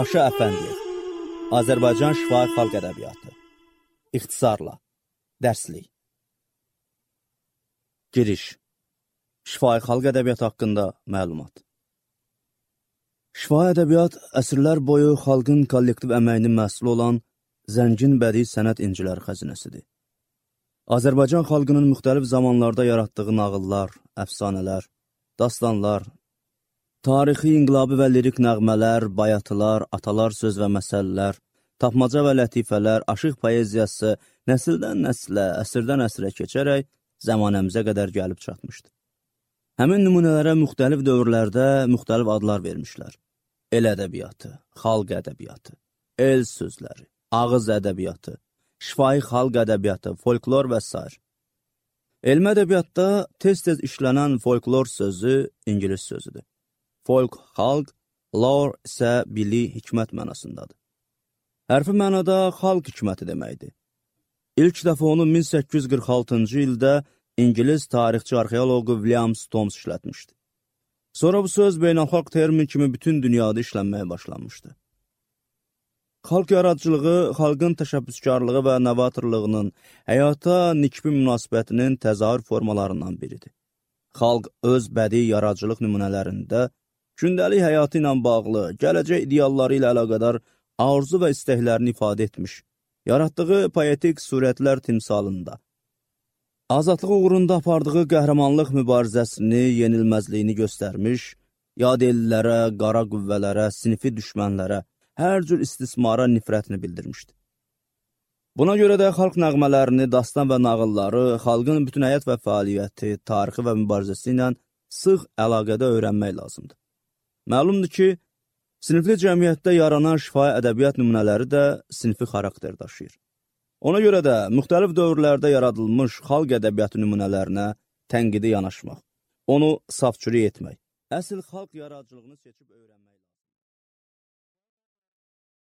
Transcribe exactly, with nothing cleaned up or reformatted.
Paşa Əfəndiyev, Azərbaycan şifahi xalq ədəbiyyatı. İxtisarla, dərslik. Giriş. Şifahi xalq ədəbiyyatı haqqında məlumat. Şifahi ədəbiyyat əsrlər boyu xalqın kollektiv əməyinin məhsulu olan zəngin bədii sənət inciləri xəzinəsidir. Azərbaycan xalqının müxtəlif zamanlarda yaratdığı nağıllar, əfsanələr, dastanlar, tarixi, inqilabi və lirik nəğmələr, bayatılar, atalar söz və məsələlər, tapmaca və lətifələr, aşıq poeziyası nəsildən nəslə, əsrdən əsrə keçərək zəmanəmizə qədər gəlib çatmışdı. Həmin nümunələrə müxtəlif dövrlərdə müxtəlif adlar vermişlər. El ədəbiyyatı, xalq ədəbiyyatı, el sözləri, ağız ədəbiyyatı, şifahi xalq ədəbiyyatı, folklor və s. Elmi ədəbiyyatda tez-tez işlənən folklor sözü ingilis sözüdür. Folk, xalq, lore isə bilik, hikmət mənasındadır. Hərfi mənada xalq hikməti deməkdir. İlk dəfə onu min səkkiz yüz qırx altıncı ildə İngilis tarixçi arxeoloqu William Stones işlətmişdi. Sonra bu söz beynəlxalq termin kimi bütün dünyada işlənməyə başlanmışdı. Xalq yaradıcılığı, xalqın təşəbbüskarlığı və novatorluğunun, həyata nikbi münasibətinin təzahür formalarından biridir. Xalq öz bədii yaradıcılıq nümunələrində gündəlik həyatı ilə bağlı, gələcək idealları ilə əlaqədar arzu və istəklərini ifadə etmiş, yaratdığı poetik surətlər timsalında, azadlıq uğrunda apardığı qəhrəmanlıq mübarizəsini, yenilməzliyini göstərmiş, yad ellərə, qara qüvvələrə, sinifi düşmənlərə, hər cür istismara nifrətini bildirmişdi. Buna görə də xalq nəğmələrini, dastan və nağılları, xalqın bütün həyat və fəaliyyəti, tarixi və mübarizəsi ilə sıx əlaqədə öyrənmək lazımdır. Məlumdur ki, sinifli cəmiyyətdə yaranan şifahi ədəbiyyat nümunələri də sinfi xarakter daşıyır. Ona görə də müxtəlif dövrlərdə yaradılmış xalq ədəbiyyatı nümunələrinə tənqidi yanaşmaq, onu safçürük etmək, əsl xalq yaradıcılığını seçib öyrənmək lazımdır.